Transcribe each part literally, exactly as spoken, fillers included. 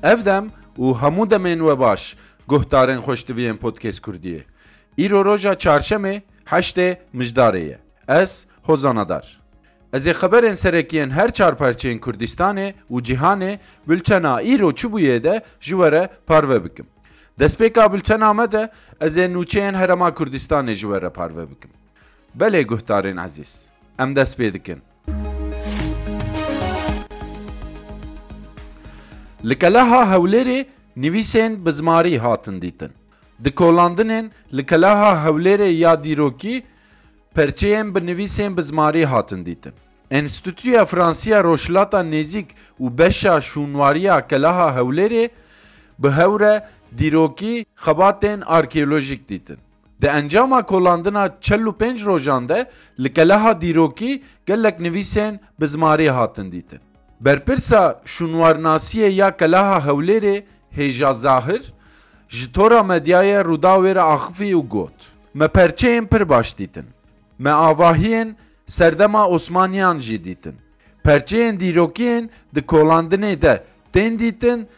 Ev dem û hemû demên we baş, guhdarên xweştiviyên Podcast Kurdiyê. Îro roja çarşemê, heştê Mijdarê ye. Ez Hozan Adar. Ez ê xeberên serekiyên her çar parçeyên Kurdistanê û cîhanê, bultena îro çi bûye de ji we re parve bikim. Destpêka bultena me de ez ê nûçeyên Herêma Kurdistanê ji we re parve bikim. Belê guhdarên ezîz, em dest pê dikin. Li Keleha Hewlêrê nivîsên bi zimarî hatin dîtin. Di kolandinên li Keleha Hewlêrê ya dîrokî perçeyên bi nivîsên bi zimarî hatin dîtin. Enstîtuya Fransiya Rojhilata Nêzîk û beşa şûnwariya Keleha Hewlêrê bi hev re dîrokî xebatên arkeolojîk dîtin. Di encama kolandina çel û pênc rojan de li Keleha dîrokî gelek nivîsên bi zimarî hatin dîtin. Berpirsa şûnwarnasiyê ya Keleha Hewlêrê Hêja Zahir ji tora medyayê Rûdawê re axifî û got, Me perçeyên pir baş dîtin. Me avahiyên serdema Osmaniyan jî dîtin. Perçeyên dîrokiyên di kolandinê de tên dîtin,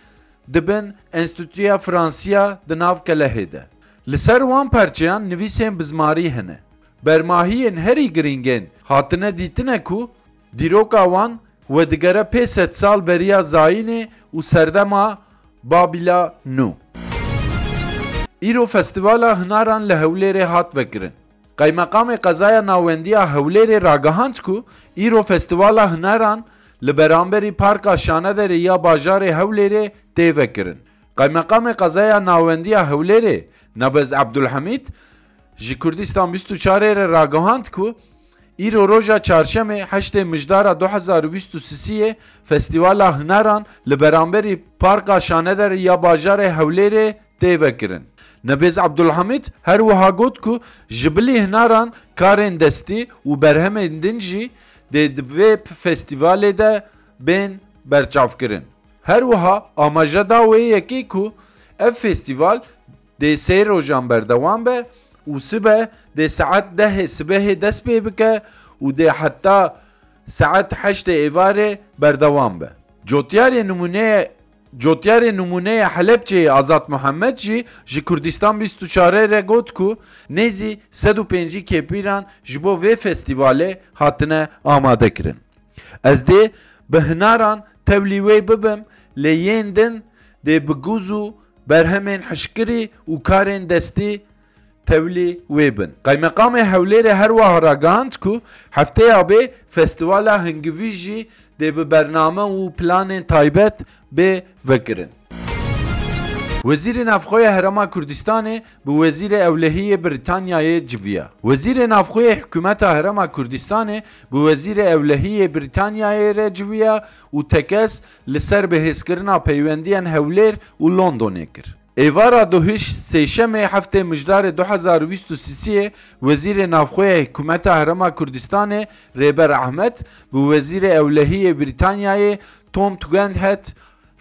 dibin Enstîtuya Fransiya di nav Kelehê de. Li ser wan perçeyan nivîsên bi zimarî hene. Bermahiyên herî girîngên hatine dîtine ku dîroka wan wedigere pê sedsal beriya zayînê û serdema Babîla Nû. Îro Festîvala Hinaran li Hewlêrê hat vekirin. Qeymeqamê Qezaya Nawendiya Hewlêrê ragihand ku îro Festîvala Hinaran li beramberî Parka Şanederê ya bajarê Hewlêrê tê vekirin. Qeymeqamê Qezaya Nawendiya Hewlêrê Nebez Ebdulhemîd ji Kurdistan bîst û çarê re ragihand ku îro roja çarşemê heştê Mijdara du hezar û bîst û sisiyê Festîvala Hinaran li beramberî Parka Şanederê ya bajarê Hewlêrê tê vekirin. Nebêz Ebdulhamîd her wiha got ku ji bilî hinaran karên destî û berhemên din jî dê di vê festîvalê de bên berçavkirin. Her wiha amaje da wê yekê ku ev festîval dê sê rojan berdewam be û sibe dê saet dehê sibehê dest pê bike û dê heta saet heştê êvarê berdewam be. Cotyarê nimûneye Cotyarê nimûneya Helebçeyê Azad Muhammed jî ji Kurdistan bîst û çarê re got ku nêzî sed û pêncî kêpîran ji bo vê festîvalê hatine amadekirin. Ez dê bi hinaran tevlî wê bibim, lê yên din dê bi gûz û berhemên hişkirî û karên destî tevlî wê bin. Qeymeqamê Hewlêrê her wiha ragihand ku hefteya bê festîvala hingivî jî dê bi bername û planên taybet bê vekirin. Wezîrê Navxwe ya Herêma Kurdistanê bi Wezîrê Ewlehî yê Brîtanyayê civiya. Wezîrê Navxwe yê Hikûmeta Herêma Kurdistanê bi Wezîrê Ewlehî yê Brîtanyayê re civiya û tekez li ser bihêzkirina peywendiyên Hewlêr û Londonê kir. Êvara duhîş sêşemê heftê Mijdarê du hezar û bîst û sisiyê Wezîrê Navxwe yê Hikûmeta Herêma Kurdistanê Rêber Ahmed bi Wezîrê Ewlehî yê Brîtanyayê Tom Tugendhat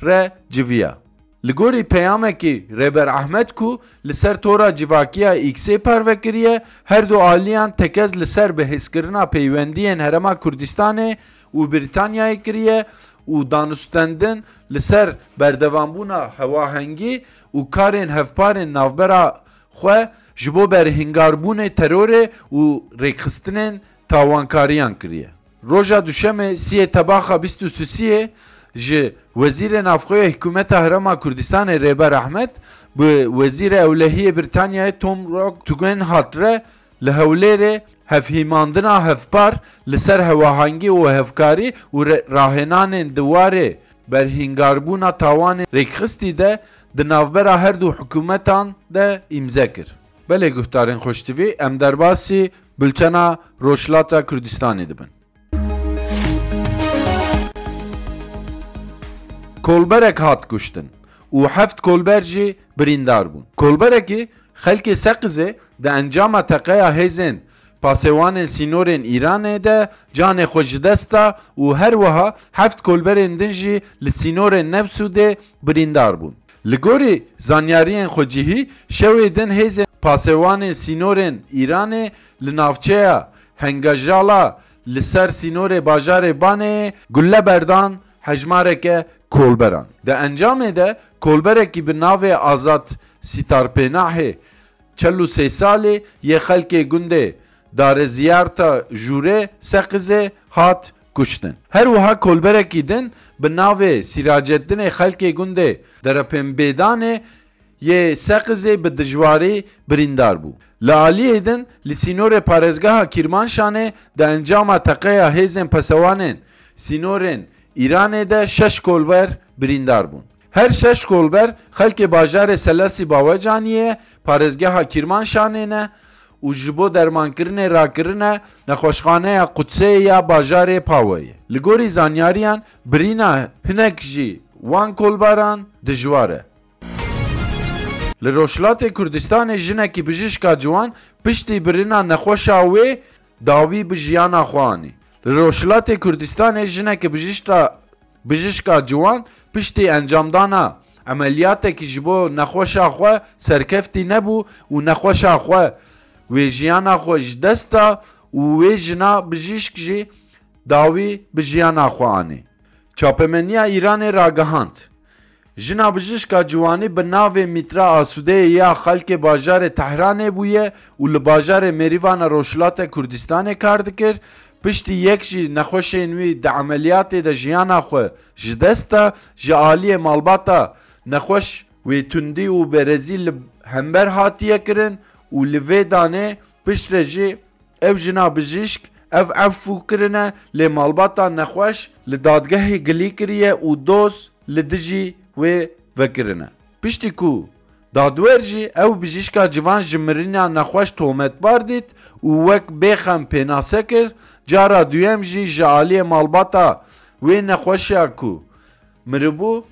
re civiya. Li gorî peyamekî Rêber Ahmed ku li ser tora civakî ya X-ê parve kiriye, her du aliyan tekez li ser bihêzkirina peywendiyên Herêma Kurdistanê û Brîtanyayê kiriye û danûstendin li ser berdewambûna hewahengî û karên hevparên navbera xwe ji bo berhingarbûnê terorê û rêkxistinên tawankariyan kiriye. Roja Duşemê siyê Tebaxa bîst û sisiyê ji Wezîrê Navxwe yê Hikûmeta Herêma Kurdistanê Rêber Ahmed bi Wezîrê Ewlehiyê Brîtanyayê Tom Rock Tugendhat re li Hewlêrê hevhîmandina hevpar li ser hewahengî û hevkarî û re-, rahênanên di warê berhingarbûna tawanên rêkxistî de di navbera her du hikûmetan de îmze kir. Belê guhdarên xweştivî, em derbasî bultena Rojhilata Kurdistanê dibin. Kolberek hat kuştin û heft kolber jî birîndar bûn. Kolberekî xelkê Seqizê di encama teqeya hêzên pasêwanên sînorên Îranê de canê xwe ji dest da û her wiha heft kolberên din jî li sînorên Nefsûdê birîndar bûn. Li gorî zanyariyên xwecihî, şewê din hêzên pasêwanên sînorên Îranê li navçeya Hengajala li ser sînorê bajarê Baneyê gulle berdan, hejmareke kolberan. Di encamê de kolberekî bi navê Azad Sitarpênahê çel û sê salî yê xelkê gundê Dareziyarta Jûrê Seqizê hat kuştin. Her wiha kolberekî din bi navê Sîracetdinê xelkê gundê Derepênbêdanê yê Seqizê bi dijwarî birîndar bû. Li aliyê din li sînorê parêzgeha Kîrmanşanê di encama teqeya hêzên pesewanên sînorên Îranê de şeş kolber birîndar bûn. Her şeş kolber xelkê bajarê Selesî Bawecaniyê parêzgeha Kîrmanşanê ne û ji bo dermankirinê rakirine nexweşxaneya Qudseyê ya bajarê Paweyê. Li gorî zanyariyan birîna hinek jî wan kolbaran dijwar e. Li Rojhilatê Kurdistanê jinekî bijîşka ciwan piştî birina nexweşa wê dawî bi jiyana xwe anî. Li Rojhilatê Kurdistanê jinekî bijîşka, bijîşka ciwan piştî encamdana emeliyatekî ji bo nexweşa xwe serkeftî nebû û nexweşa xwe wê jiyana xwe ji dest da û wê jina bijîşk jî dawî bi jiyana xwe anî. Çapemeniya Îranê ragihand, jina bijîşka ciwanî bi navê Mîtra Asûdeyê ya xelkê bajarê Tehranê bûye û li bajarê Mêrîvana Rojhilata Kurdistanê kar dikir. Piştî yek jî nexweşên wî di emeliyatê de jiyana xwe ji dest da, ji aliyê malbata nexweş wê tundî û berezî li hember hatiye kirin û li vê danê piştre jî ev jina bijîşk ev efû kirine, lê malbata nexweş li dadgehê gilî kiriye û doz li dijî wê vekirine. Piştî ku dadwer jî ew bijîşka ciwan ji mirina nexweş tometbar dît û wek bêxem pênase kir, cara duyem jî ji aliyê malbata wê nexweşa ku miribû,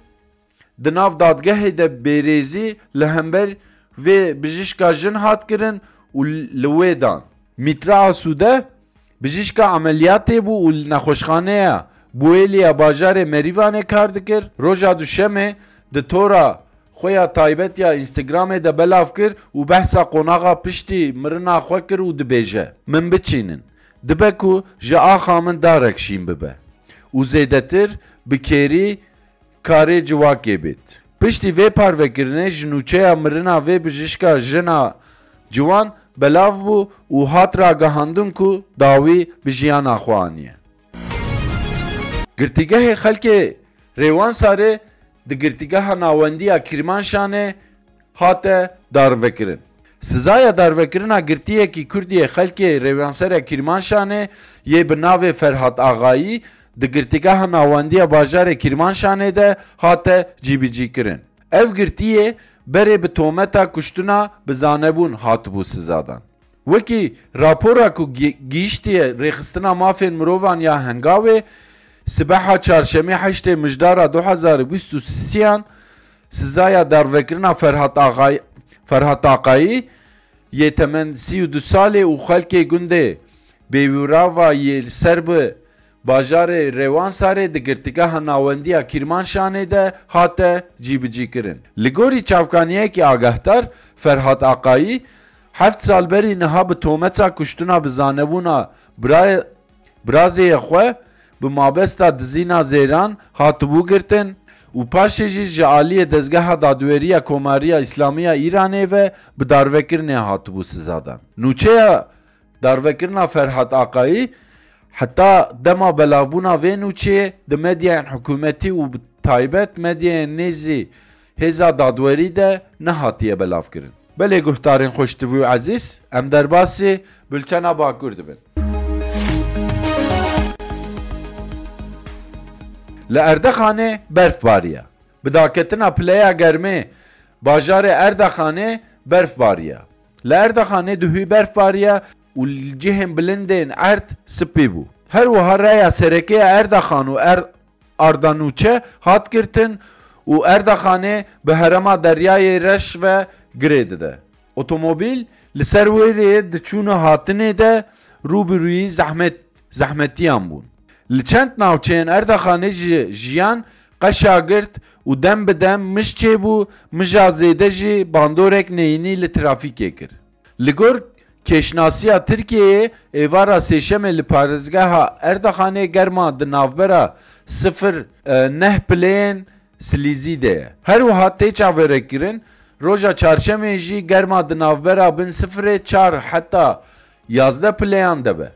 di nav dadgehê de bêrêzî li hember vê bijîşka jin hat kirin û li wê dan. Mîtra Asûde, bijîşka emeliyatê bû û li nexweşxaneya Buêlî ya bajarê Merîvanê kar dikir. Roja Duşemê di tora xwe ya taybet ya Instagramê de belav kir û behsa qonaxa piştî mirina xwe kir û dibêje, Min biçînin. Dibe ku ji axa min darek şîn bibe û zêdetir bi kêrî karê civakê bêt. Piştî vê parvekirinê ji nûçeya mirina vê bijîşka jina ciwan belav bû û hat ragihandin ku dawî bi jiyana xwe aniye. Girtîgehê xelkê Rêwansarê di Girtîgeha Nawendiya Kîrmanşanê hate darvekirin. Sizaya darvekirina girtiyekî Kurdî yê xelkê Rêwansera Kîrmanşanê yê bi navê Ferhat Axayî di Girtîgeha Nawendiya bajarê Kîrmanşanê de hate cîbicîkirin. Ev girtiyê berê bi tometa kuştina bi zanebûn hatibû sizadan. Wekî rapora ku gi-, gihîştiye Rêxistina Mafên Mirovan ya Hengawê, sibeha çarşemê heştê Mijdara du hezar û bîst û sêyan, sizaya darvekirina Ferhat Axay-, Ferhat Aqayî yê temen sî û du salê û xelkê gundê Bêwîrava yê li ser bi bajarê Rêwansarê di Girtîgeha Nawendiya Kîrmanşanê de hate cîbicîkirin. Li gorî çavkaniyekî agahdar, Ferhat Aqayî heft sal berî niha bi tometa kuştina bi zanebûna bira-, birazêyê xwe bi mabesta dizîna zêran hatibû girtin û paşê jî ji aliyê Dezgeha Dadweriya Komariya Îslamî ya Îranê ve bi darvekirinê hatibû sizadan. Nûçeya darvekirina Ferhat Aqayî heta dema belavbûna vê nûçeyê di medyayên hikûmetî û bi taybet medyayên nêzî hêza dadwerî de nehatiye belavkirin. Belê guhdarên xweştivî û ezîz, em derbasî bultena Bakur dibin. Li Erdexanê berf bariye. Bi daketina pileya germê bajarê Erdexanê berf bariye. Li Erdexanê duhî berf bariye û li cihên bilindên erd spî bû. Her wiha raya sereke ya Erdexan û Er-, Ardanûçe hat girtin û Erdexanê bi herêma Deryayê Reş ve girê dide. Otomobîl li ser wê rêyê di çûn û hatinê de rûbirûyî zehmet, zehmetiyan bûn. Li çend navçeyên Erdexanê jî jiyan qeşa girt û dem bi dem mij çêbû, mija zêde jî bandorek neyînî li trafîkê kir. Li gor kêşnasiya Tirkiyeyê, êvara sêşemê li parêzgeha Erdexanê germa di navbera sifir neh pileyên silîzî de ye. Her wiha tê çaverêkirin, roja çarşemê jî germa di navbera bin sifirê çar heta yazdeh pileyan de be.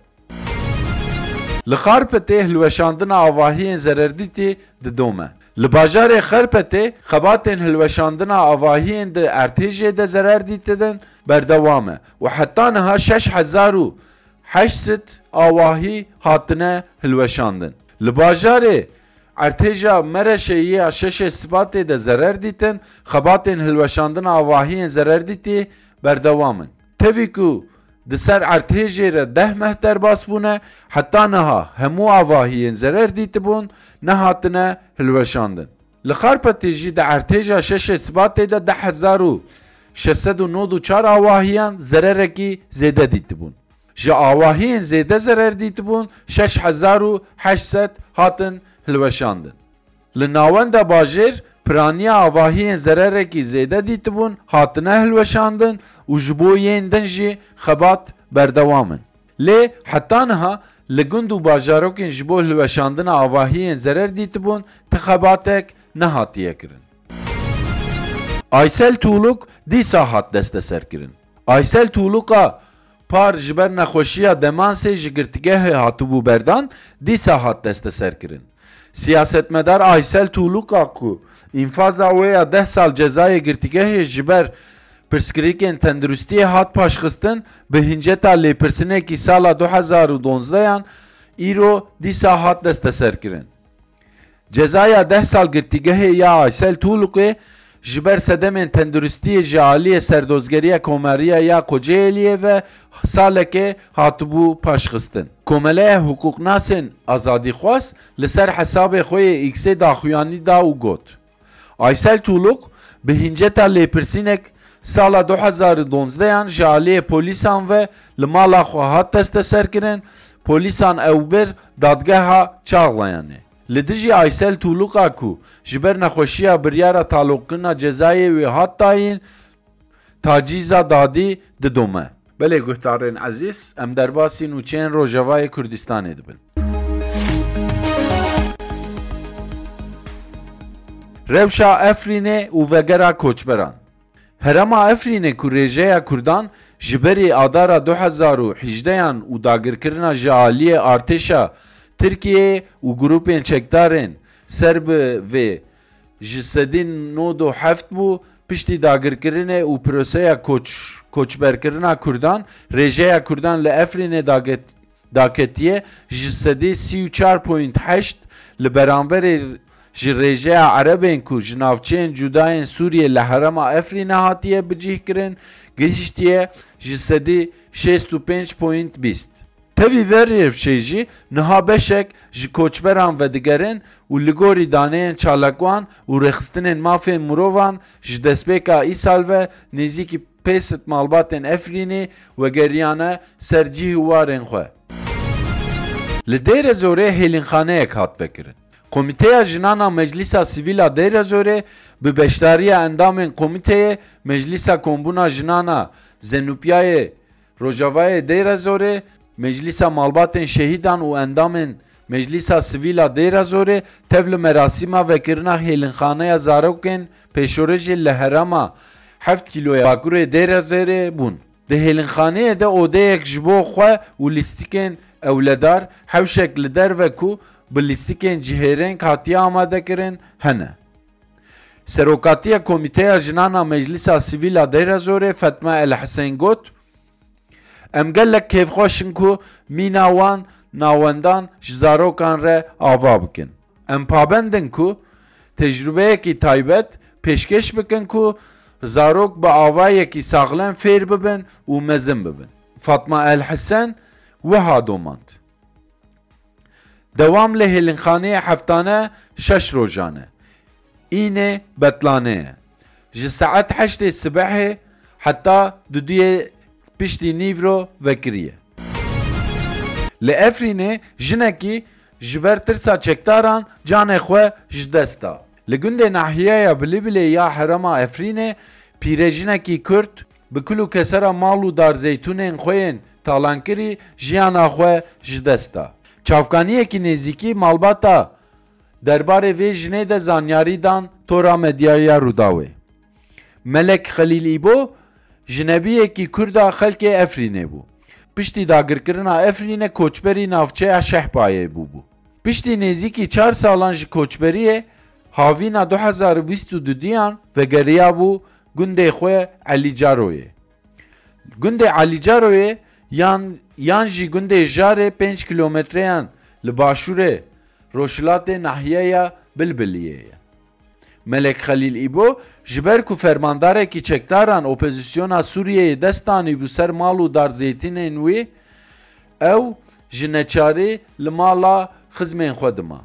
Li Xarpetê hilweşandina avahiyên zererdîtî didome. Li bajarê Xarpetê xebatên hilweşandina avahiyên di erdhêjê de zerer dîtidin berdewam e û heta niha şeş hezar û heşt sed awahî hatine hilweşandin. Li bajarê erdhêja Mereşê ya şeşê Sibatê de zerer dîtin, xebatên hilweşandina avahiyên zerer dîtî berdewam in. Tevî ku di ser erdhêjê re deh meh derbas bûne, heta niha hemû avahiyên zerer dîtibûn nehatine hilweşandin. Li Xarpetê jî di erdhêja şeşê Sibatê de deh hezar û şeş sed û nod û çar awahiyan zererekî zêde dîtibûn. Ji awahiyên zêde zerer dîtibûn şeş hezar û heşt sed hatin hilweşandin. Li navenda bajêr piraniya avahiyên zererekî zêde dîtibûn hatine hilweşandin û ji bo yên din jî xebat berdewam in. Lê heta niha li gund û bajarokên ji bo hilweşandina avahiyên zerer dîtibûn ti xebatek nehatiye kirin. Aysel Tuğluk dîsa hat desteserkirin. Aysel Tuğluka par ji ber nexweşiya demansê ji girtîgehê hatibû berdan, dîsa hat desteserkirin. Siyasetmedar Aysel Tuğluka ku înfaza wê ya deh sal cezayê girtîgehê ji ber pirsgirêkên tenduristiyê hat paşxistin, bi hinceta lêpirsinekî sala du hezar û donzdehan îro dîsa hat desteserkirin. Cezaya deh sal girtîgehê ya Aysel Tuğlukê ji ber sedemên tenduristiyê ji aliyê Serdozgeriya Komariya ya Kocaeli'yê ve salekê hatibû paşxistin. Komeleya hiqûqnasên azadîxwaz li ser hesabê xwe yê X-ê daxuyanî da û got, Aysel Tuğluk bi hinceta lêpirsînek sala du hezar û donzdehan ji aliyê polîsan ve li mala xwe hat desteserkirin, polîsan ew bir dadgeha Çağlayanê. Li dijî Aysel Tuğluka ku ji ber nexweşiya biryara taloqkirina cezayê wê hat dayîn, tacîza dadî didome. Belê guhdarên ezîz, em derbasî nûçeyên Rojavayê Kurdistanê dibin. Rewşa Efrînê û vegera koçberan. Herêma Efrînê ku rêjeya Kurdan ji berî Adara du hezar û hejdehan û dagirkirina ji aliyê artêşa Tirkiyeyê û grûpên çekdarên ser bi vê ji sedî nod û heft bû, piştî dagirkirinê û proseya koç-, koçberkirina Kurdan, rêjeya Kurdan li Efrînê daget-, daketiye ji sedî sî û çar point heşt li beramberê ji rêjeya Erebên ku ji navçeyên cudayên Sûriyê li herêma Efrînê hatiye bicihkirin, gihiştiye ji sedî şêst û pênc point bîst. Tevî vê rewşê jî niha beşek ji koçberan vedigerin û li gorî daneyên çalakvan û rêxistinên mafên mirovan ji destpêka îsal ve nêzîkî pênc sed malbatên Efrînê vegeriyane ser cih û warên xwe. Li Dêrezorê hêlînxaneyek hat vekirin. Komîteya Jinan a Meclîsa Sivîl a Dêrezorê bi beşdariya endamên Komîteyê Meclîsa Kombûna Jinan a Zenûpiyayê Rojavayê Dêrezorê, Meclîsa Malbatên Şehîdan û endamên Meclîsa Sivîl a Dêrezorê tev li merasîma vekirina hêlînxaneya zarokên pêşerojê li herêma heft kîloya Bakurê Dêrezorê bûn. Di hêlînxaneyê de odeyek ji bo xwe û lîstikên ewledar, hewşek li derve ku bi lîstikên cihêreng hatiye amadekirin, hene. Serokatiya Komîteya Jinan a Meclîsa Sivîl a Dêrezorê Fatma El Husên got, Em gelek kêfxweş in ku mîna wan nawendan ji zarokan re ava bikin. Em pabend in ku tecrûbeyekî taybet pêşkêş bikin ku zarok bi avayekî saxlem fêr bibin û mezin bibin. Fatma El Hesen wiha domand. Dewam li hêlînxaneyê heftane şeş rojan e. Înê betlane ye. Ji saet heştê sibehê heta duduyê piştî nîvro vekiriye. Li Efrînê jinekî ji ber tirsa çekdaran canê xwe ji dest da. Li gundê nahiyeya Bilîbilê ya herêma Efrînê pîrejinekî Kurd bi kul û kesera mal û dar zeytûnên xwe yên talankirî jiyana xwe ji dest da. Çavkaniyekî nêzîkî malbata derbarê vê jinê de zanyarî dan tora medyaya Rûdawê. Melek Xelîl Îbo jinebiyekî Kurd a xelkê Efrînê bû. Piştî dagirkirina Efrînê koçberî navçeya Şehbayê bûbû. Piştî nêzîkî çar salan ji koçberiyê havîna du hezar û bîst û duduyan vegeriyabû gundê xwe Elîcaroyê. Gundê Elîcaroyê yan, yan jî gundê Jarê pênc kilometreyan li başûrê rojhilatê nahiyeya Bilbiliyê ye. Melek Xelîl Îbo, ji ber ku fermandarekî çekdaran opozisyona Sûriyeyê dest danîbû ser mal û dar zeytînên wî, ew ji neçarî li mala xizmên xwe dima.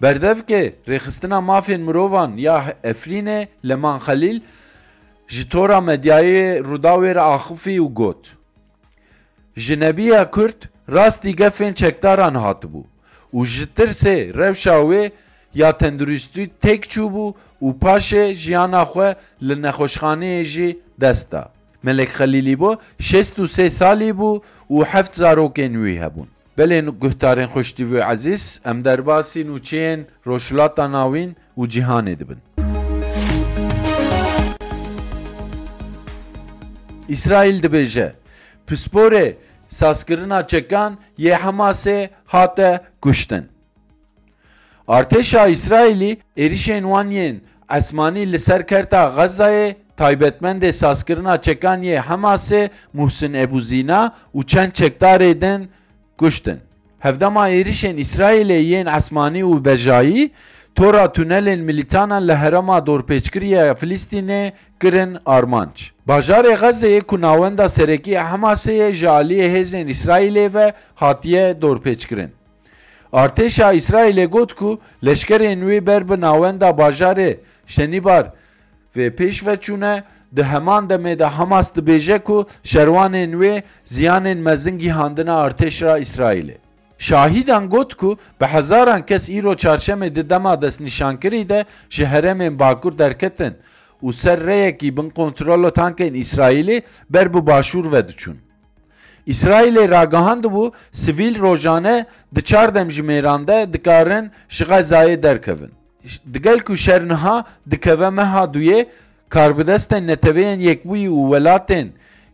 Berdevkê Rêxistina Mafên Mirovan ya Efrînê Leman Xelîl ji tora medyayê Rûdawê re axifî û got, Jinebiya Kurd rastî gefên çekdaran hatibû û ji tirsê rewşa wê ya tenduristî têk çûbû û paşê jiyana xwe li nexweşxaneyê jî dest da. Melek Xelîl Îbo şêst û sê salî bû û heft zarokên wî hebûn. Belê guhdarên xweştî û ezîz, em derbasî nûçeyên Rojhilata Navîn û cîhanê dibin. Îsraîl dibêje, pisporê sazkirina çekan yê Hemasê hate kuştin. Artêşa Îsraîlî êrişên wan yên esmanî li ser kerta Xezayê taybetmendê sazkirina çekan yê Hemasê Muhsin Ebûzîna û çend çekdarê din kuştin. Hevdema êrişên Îsraîlê yên esmanî û bejayî, tora tunelên milîtanan li herêma dorpêçkirî ya Filistînê kirin armanc. Bajarê Xezeyê ku navenda serekî ya Hemasê ye, ji aliyê hêzên Îsraîlê ve hatiye dorpêçkirin. Artêşa Îsraîlê got ku leşkerên wê ber bi navenda bajarê Şenîbar vê pêş ve çûne, di heman demê de Hamas dibêje ku şerwanên wê ziyanên mezin gihandine artêşa Îsraîlê. Şahîdan got ku bi hezaran kes îro çarşemê di dema destnîşankirî de ji herêmên Bakur derketin û ser rêyekî bin kontrolo tankên Îsraîlî ber bi Başûr ve diçûn. Îsraîlê ragihandibû, sivîl rojane di çar demjimêran de dikarin ji Xezayê derkevin. Digel ku şer niha dikeve meha duyê, karbidestên Neteweyên Yekbûyî û welatên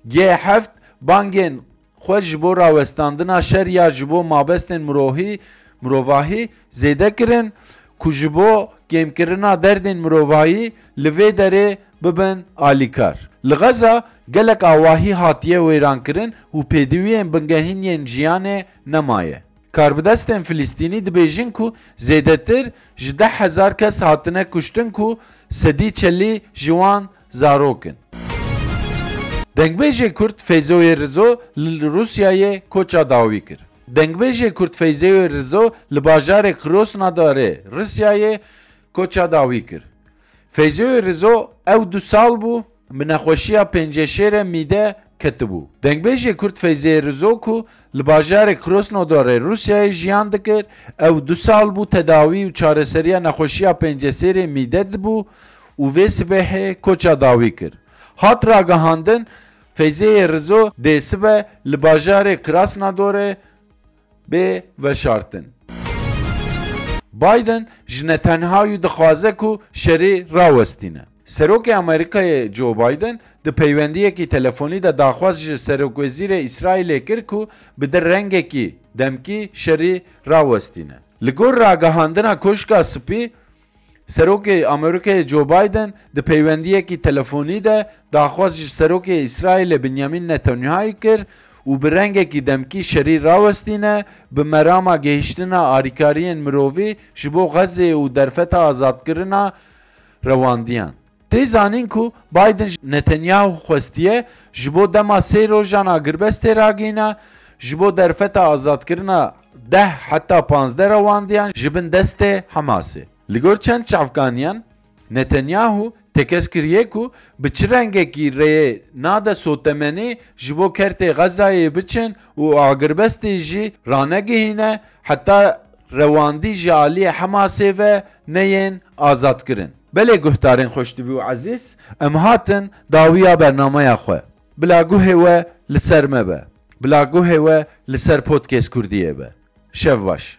G heft bangên xwe ji bo rawestandina şer ya ji bo mabestên mirohî, mirovahî zêde kirin ku ji bo kêmkirina derdên mirovahî li vê derê bibin alîkar. Li Xeza gelek awahî hatiye wêrankirin û pêdiviyên bingehîn yên jiyanê nemaye. Karbidestên Filistînî dibêjin ku zêdetir ji deh hezar kes hatine kuştin ku sedî çelî ji wan zarok in. Dengbêjê Kurd Feyzoyê Rizo li Rûsyayê koça dawî kir. Dengbêjê Kurd Feyzoyê Rizo li bajarê Krosnodarê Rûsyayê koça dawî kir. Feyzoyê Rizo ew du sal bû bi nexweşiya pênceşêrê mîde ketibû. Dengbêjê Kurd Feyzê Rizo ku li bajarê Krosnodarê Rûsyayê jiyan dikir, ew du sal bû tedawî û çareseriya nexweşiya pênceşêrê mîde dibû û vê sibehê koça dawî kir. Hat ragihandin, Feyzeyê Rizo dê sibe li bajarê Krasnodorê bê veşartin. Biden ji Netanyahu dixwaze ku şerî rawestîne. Serokê Amerîkayê Joe Biden di peywendiyekî telefonî de daxwaz ji Serokwezîrê Îsraîlê kir ku bide rengekî demkî şerî rawestîne. Li gor ragihandina Koşka Spî, Serokê Amerîkayê Joe Biden di peywendiyekî telefonî de daxwaz ji Serokê Îsraîlê Benyamin Netanyahu kir û bi rengekî demkî şerî rawestîne, bi merama gihiştina alîkariyên mirovî ji bo Xezê û derfeta azadkirina rewandiyan. Tê zanîn ku Biden ji Netanyahu xwestiye ji bo dema sê rojan agirbestê ragihîne, ji bo derfeta azadkirina deh heta panzdeh rewandiyan ji bin destê Hamasê. Li gor çend çavkaniyan, Netanyahu tekez kiriye ku bi çi rengekî rêyê nade sotemenî ji bo kertê Xezayê biçin û agirbestê jî ranegihîne heta rewandî ji aliyê Hamasê ve neyên azadkirin. Belê guhdarên xweştivî û ezîz, em hatin dawiya bernameya xwe. Bila guhê we li ser me be. Bila guhê we li ser Podcast Kurdiyê be. Şev baş.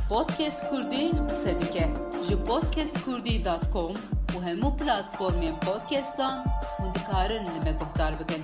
Podcast Kurdî qise dike. Ji podcast kurdî dot com û hemû platformên podcastan hûn dikarin li me guhdar bikin.